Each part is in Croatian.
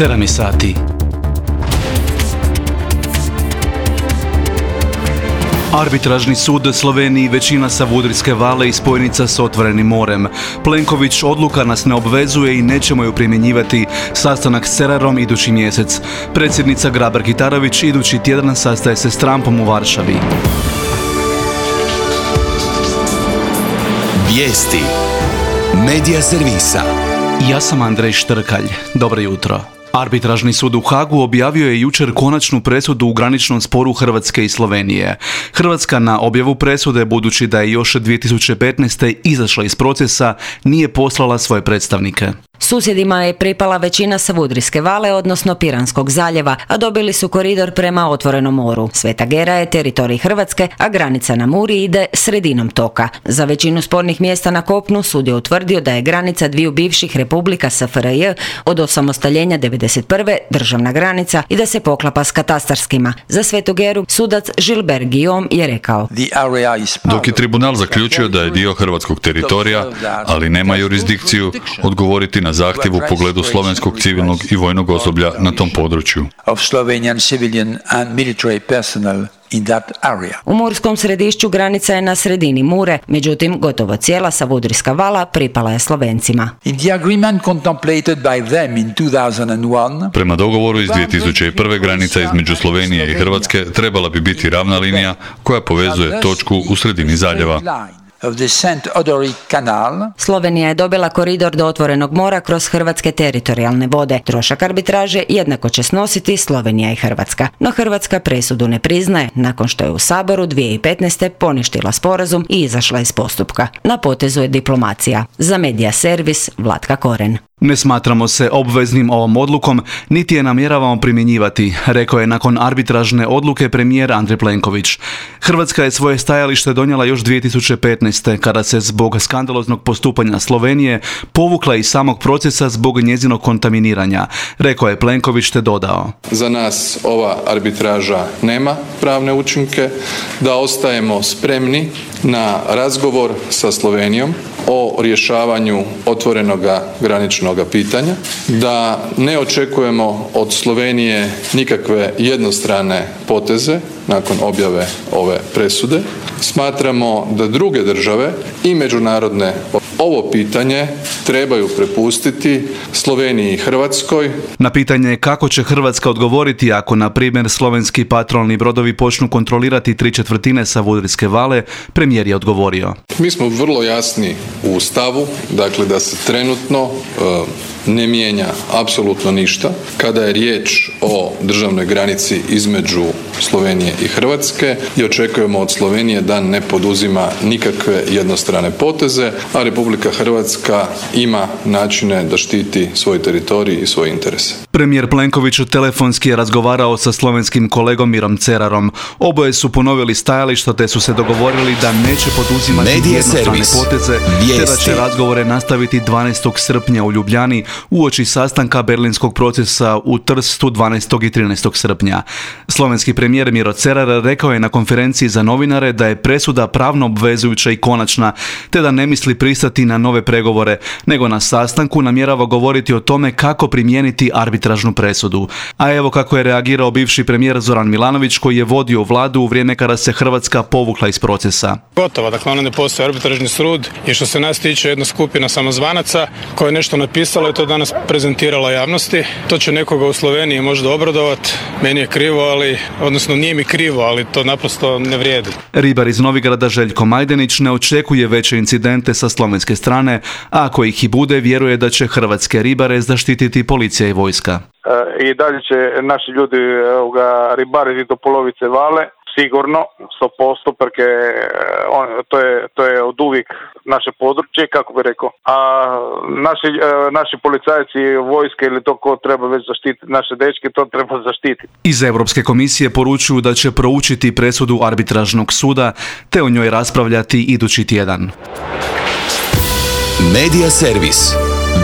7 sati. Arbitražni sud Sloveniji većina Savudrijske vale i spojnica s otvorenim morem. Plenković: odluka nas ne obvezuje i nećemo ju primjenjivati. Sastanak s Cerarom idući mjesec. Predsjednica Grabar-Kitarović idući tjedan sastaje se s Trumpom u Varšavi. Vijesti Medija servisa. Ja sam Andrej Štrkalj. Dobro jutro. Arbitražni sud u Hagu objavio je jučer konačnu presudu u graničnom sporu Hrvatske i Slovenije. Hrvatska na objavu presude, budući da je još 2015. izašla iz procesa, nije poslala svoje predstavnike. Susjedima je pripala većina Savudrijske vale, odnosno Piranskog zaljeva, a dobili su koridor prema otvorenom moru. Sveta Gera je teritorij Hrvatske, a granica na Muri ide sredinom toka. Za većinu spornih mjesta na kopnu sud je utvrdio da je granica dviju bivših republika SFRJ od osamostaljenja 1991. državna granica i da se poklapa s katastarskima. Za Svetu Geru sudac Gilbert Guillaume je rekao: dok je tribunal zaključio da je dio hrvatskog teritorija, ali nema jurisdikciju odgovoriti na zahtjev u pogledu slovenskog civilnog i vojnog osoblja na tom području. U murskom središću granica je na sredini Mure, međutim gotovo cijela Savudrijska vala pripala je Slovencima. Prema dogovoru iz 2001. granica između Slovenije i Hrvatske trebala bi biti ravna linija koja povezuje točku u sredini zaljeva. Slovenija je dobila koridor do otvorenog mora kroz hrvatske teritorijalne vode. Trošak arbitraže jednako će snositi Slovenija i Hrvatska. No Hrvatska presudu ne priznaje nakon što je u Saboru 2015. poništila sporazum i izašla iz postupka. Na potezu je diplomacija. Za Medija servis Vlatka Koren. Ne smatramo se obveznim ovom odlukom, niti je namjeravamo primjenjivati, rekao je nakon arbitražne odluke premijer Andrej Plenković. Hrvatska je svoje stajalište donijela još 2015. kada se zbog skandaloznog postupanja Slovenije povukla iz samog procesa zbog njezinog kontaminiranja, rekao je Plenković te dodao: za nas ova arbitraža nema pravne učinke, da ostajemo spremni na razgovor sa Slovenijom o rješavanju otvorenoga graničnog pitanja, da ne očekujemo od Slovenije nikakve jednostrane poteze nakon objave ove presude. Smatramo da druge države i međunarodne ovo pitanje trebaju prepustiti Sloveniji i Hrvatskoj. Na pitanje kako će Hrvatska odgovoriti ako, na primjer, slovenski patrolni brodovi počnu kontrolirati 3/4 Savudrijske vale, premijer je odgovorio: mi smo vrlo jasni u stavu, dakle da se trenutno ne mijenja apsolutno ništa kada je riječ o državnoj granici između Slovenije i Hrvatske i očekujemo od Slovenije da ne poduzima nikakve jednostrane poteze, a Republika Hrvatska ima načine da štiti svoj teritorij i svoje interese. Premijer Plenković telefonski je razgovarao sa slovenskim kolegom Mirom Cerarom. Oboje su ponovili stajališta te su se dogovorili da neće poduzimati jednostrane poteze, te da će razgovore nastaviti 12. srpnja u Ljubljani uoči sastanka berlinskog procesa u Trstu 12. i 13. srpnja. Slovenski premijer Miro Cerar rekao je na konferenciji za novinare da je presuda pravno obvezujuća i konačna, te da ne misli pristati na nove pregovore, nego na sastanku namjerava govoriti o tome kako primijeniti arbitražnu presudu. A evo kako je reagirao bivši premijer Zoran Milanović, koji je vodio vladu u vrijeme kada se Hrvatska povukla iz procesa. Gotovo, dakle ono ne postoji arbitražni sud i što se nas tiče jedna skupina samozvanaca koja je nešto napisala i to danas prezentirala javnosti. To će nekoga u Sloveniji možda obradovati. Meni je krivo, odnosno nije mi krivo, ali to naprosto ne vrijedi. Ribar iz Novigrada Željko Majdenić ne očekuje veće incidente sa slovenske strane, a ako ih i bude, vjeruje da će hrvatske ribare zaštititi policija i vojska. I dalje će naši ljudi ribariti do polovice vale, sigurno, 100%, perché to je od uvijek naše područje, kako bi rekao. A naši policajci, vojske ili to ko treba već zaštititi, naše dečke, to treba zaštititi. Iz Europske komisije poručuju da će proučiti presudu arbitražnog suda, te o njoj raspravljati idući tjedan. Medija servis.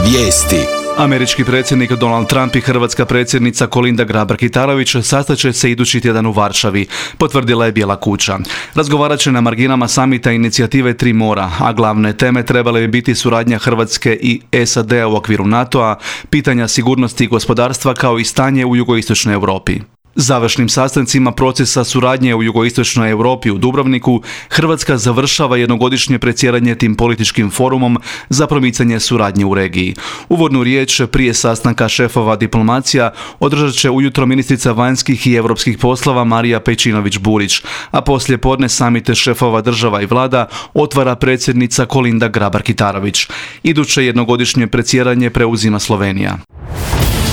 Vijesti. Američki predsjednik Donald Trump i hrvatska predsjednica Kolinda Grabar-Kitarović sastaće se idući tjedan u Varšavi, potvrdila je Bijela kuća. Razgovarat će na marginama samita inicijative Tri mora, a glavne teme trebale bi biti suradnja Hrvatske i SAD-a u okviru NATO-a, pitanja sigurnosti i gospodarstva kao i stanje u jugoistočnoj Europi. Završnim sastancima procesa suradnje u jugoistočnoj Europi u Dubrovniku, Hrvatska završava jednogodišnje predsjedanje tim političkim forumom za promicanje suradnje u regiji. Uvodnu riječ prije sastanka šefova diplomacija održat će ujutro ministrica vanjskih i europskih poslova Marija Pejčinović-Burić, a poslije podne samite šefova država i vlada otvara predsjednica Kolinda Grabar-Kitarović. Iduće jednogodišnje predsjedanje preuzima Slovenija.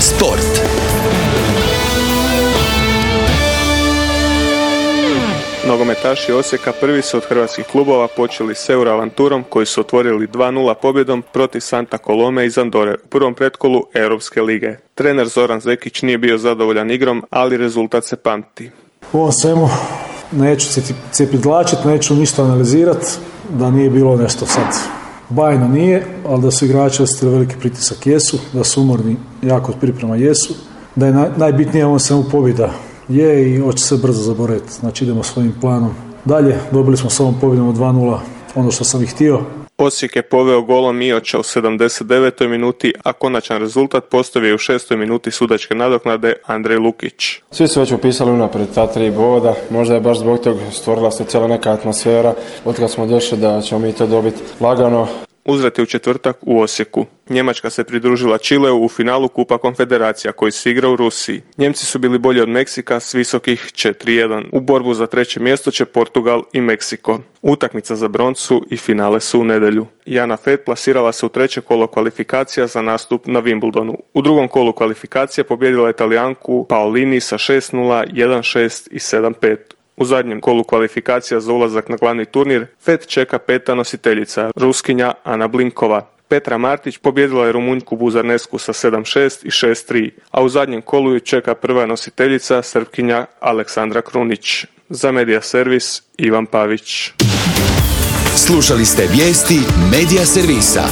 Sport. Nogometaši Osijeka prvi su od hrvatskih klubova počeli s Euroavanturom koji su otvorili 2-0 pobjedom protiv Santa Colome iz Andore u prvom pretkolu Europske lige. Trener Zoran Zekić nije bio zadovoljan igrom, ali rezultat se pamti. U ovom svemu neću cijepidlačiti, neću ništa analizirati, da nije bilo nešto sad bajno nije, ali da su igrači osjetili veliki pritisak jesu, da su umorni jako od priprema jesu, da je najbitnije u ovom svemu pobjeda je i hoće se brzo zaboraviti. Znači idemo svojim planom dalje. Dobili smo s ovom pobjedom od 2-0 ono što sam ih htio. Osijek je poveo golom Mioća u 79. minuti, a konačan rezultat postavio je u 6. minuti sudačke nadoknade Andrej Lukić. Svi su već upisali unaprijed ta 3 boda, možda je baš zbog toga stvorila se cijela neka atmosfera, od kad smo došli da ćemo mi to dobiti lagano. Uzlet je u četvrtak u Osijeku. Njemačka se pridružila Čileu u finalu Kupa Konfederacija koji se igra u Rusiji. Njemci su bili bolji od Meksika s visokih 4-1. U borbu za 3. mjesto će Portugal i Meksiko. Utakmica za broncu i finale su u nedjelju. Jana Fett plasirala se u 3. kolo kvalifikacija za nastup na Wimbledonu. U 2. kolu kvalifikacija pobijedila Italijanku Paolini sa 6-0, 1-6 i 7-5. U zadnjem kolu kvalifikacija za ulazak na glavni turnir Fett čeka 5. nositeljica, Ruskinja Ana Blinkova. Petra Martić pobijedila je Rumunjku Buzarnesku sa 7-6 i 6-3, a u zadnjem kolu ju čeka prva nositeljica, Srpkinja Aleksandra Krunić. Za Medija Servis, Ivan Pavić. Slušali ste vijesti Medija Servisa.